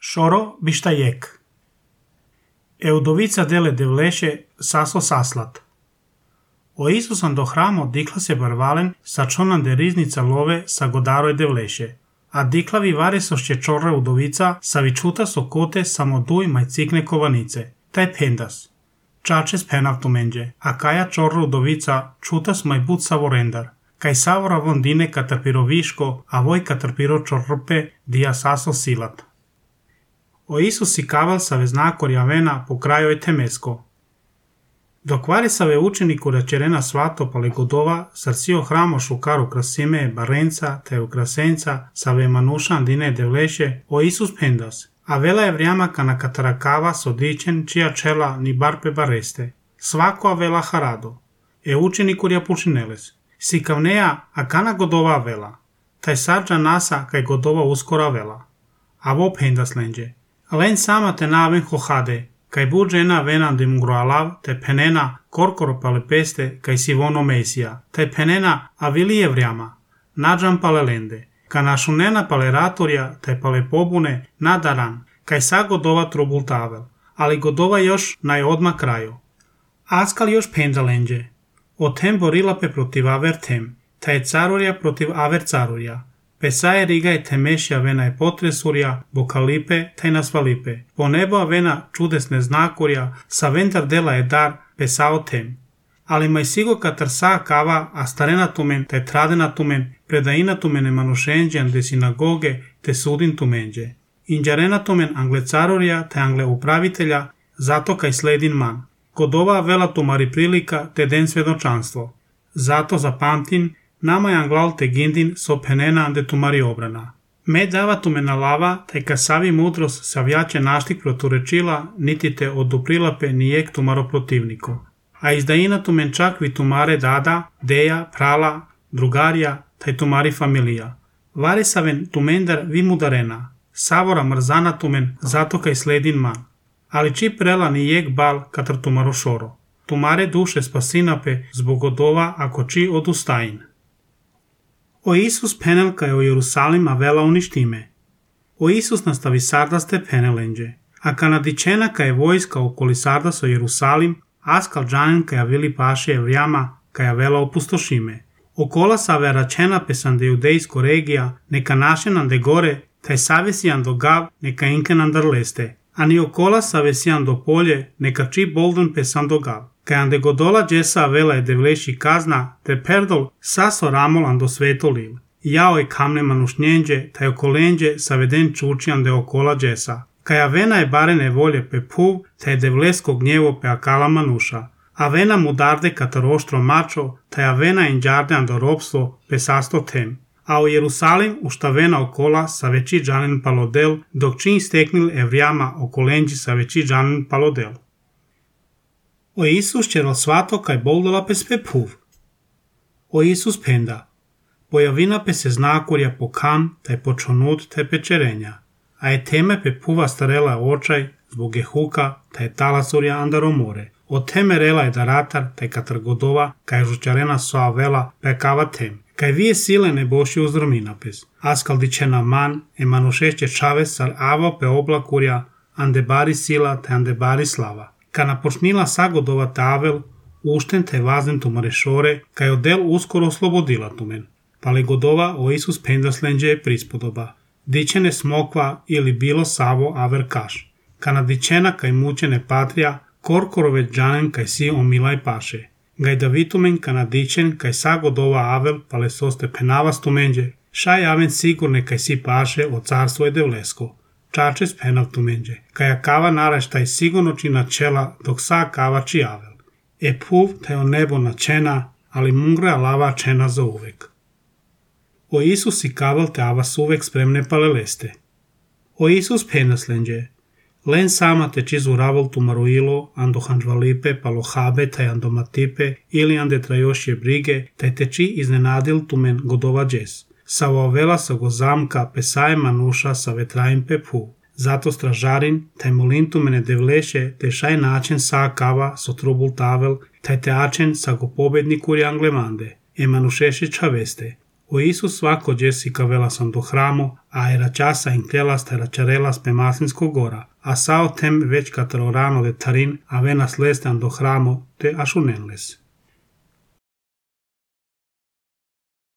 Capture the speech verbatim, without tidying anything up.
Шоро биштајек. Е удовица деле девлеше сасо саслат. O Isusan do hramo dikla se barvalen sa čonan de riznica love sa godaro e devlеше, a diklavi vare sošće čorre udovica sa vičuta so kote samo duj maj cikne kovanice, taj pendas. Čačes penav tumenđe, a kaja čorre udovica čutas maj but savorendar, kaj savora vondine katrpiro viško, a voj katrpiro čorrupe dija saso silat. O Isus si kaval sa veznakor javena po kraju je temesko. Dok vari sa ve učeniku rečerena svato pale godova, srcio hramo šukaru krasime barenca te ukrasenca sa ve manušan dine devleše o Isus pendas, a vela je vrijama kana katarakava sodičen čija čela ni barpe bareste. Svako a vela harado. E učeniku rja pušineles. Si kavneja a kana godova vela. Taj sarđa nasa kaj godova uskora vela. A vo pendas lenđe. Len sama te naven hohade, kaj buđena venan de mungroalav, te penena korkoro pale peste, kaj si vono mesija, te penena avilije vrijama, nađam pale lende, ka našunena pale ratorja, te pale pobune, nadaran, kaj sa godova trubultavel, ali godova još naj odma kraju. Askal još penda lenđe, o tem borilape protiv aver tem, ta je carurja protiv aver carurja, Pesaje riga je temešja vena je potresurja, bokalipe taj nasvalipe. Po nebo vena čudesne znakurja, sa ventar dela je dar pesao tem. Ali maj sigo katar sa kava, a starena tumen taj tradena tumen, predaina tumene manušenđan de sinagoge te sudin tumenđe. Inđarena tumen angle carurja te angle upravitelja, zato kaj sledin man. Godova vela tumari prilika te den svedočanstvo. Zato zapamtin, nama je anglal te gindin so penena ande tumari obrana. Me dava tumena lava, taj kasavi mudros savjače naštik proturečila, niti te oduprilape nijek tumaro protivniko. A izdaina tumen čak vi tumare dada, deja, prala, drugarja, taj tumari familija. Vari saven tumendar vi mudarena, savora mrzana tumen, zato kaj sledin man. Ali či prela nijek bal katr tumaro šoro. Tumare duše spasinape zbog odova ako či odustajin. O Isus penel kaj o Jerusalim a vela uništime. O Isus nastavi sardaste penelenđe, a kanadičena kaj vojska okoli sardas o Jerusalim, askal džanen kaj vili paše evrijama kaj vela opustošime. Okola sa veračena pesande judejsko regija, neka našenan de gore, taj savesijan do gav, neka inkenan dar leste, a ni okola savesijan do polje, neka či bolden pesan do gav. Kaj ande godola džesa vela je devleši kazna, te perdol saso ramol ando svetolil. Jao je kamne manušnjenđe, taj okolenđe saveden čuči ande okola džesa. Kaj avena je barene volje pe puv, taj devlesko gnjevo pe akala manuša. Avena mudarde katar oštro mačo, taj avena inđarde ando ropstvo pe sasto tem. A u Jerusalim ušta vena okola sa veći džanen palodel, dok čin steknil evrijama okolenđi sa veći džanen palodel. O Isus čeral svato kaj boldola pe sve puv. O Isus penda. Pojavina pe se znakurja po kan, taj počonut te pečerenja. A je teme pe puva starela očaj, zbog je huka, taj talasurja andaro more. O teme rela je daratar, taj katar godova, kaj žučarena soa vela pe kava tem. Kaj vije sile ne boši uzdromina pes. Askal dičena man, e manušešće čave sar avo pe oblakurja, ande bari sila, te ande bari slava. Ka napočnila sagodova tavel, ušten te vazden tumare šore, kaj odel uskoro oslobodila tumen. Pale godova o Isus pendaslenđe je prispodoba. Dičene smokva ili bilo savo aver kaš. Ka nadičena kaj mučene patrija, korkorove džanen kaj si omilaj paše. Gaj davitumen ka nadičen kaj sagodova avel pale soste penavas tumenđe, šaj aven sigurne kaj si paše o carstvo je devlesko. Čačes penav tumenđe, kaja kava naraštaj sigurno či načela dok sa kava či avel. E puv taj o nebo načena, ali mungre lava čena za uvek. O Isus i kaval te avas uvek spremne pale leste. O Isus penaslenđe, len sama te či zuraval tumaruilo, ando hanžvalipe, palo habe taj ando matipe, ili ande trajošje brige, taj te či iznenadil tumen godova džes. Sa ovela sa go zamka pesaje manuša sa vetrajim pe pu. Zato stražarin, taj molintu mene devleše, te šaj način sa kava so trubul tavel, taj te ačen sa go pobednikur anglemande. E manušeše čaveste. O Isus svako Jessica velasan do hramo, a era časa in clelas era čarelas pe maslinsko gora, a sao tem već katalorano de tarin avenas lestan do hramo te ašunenles.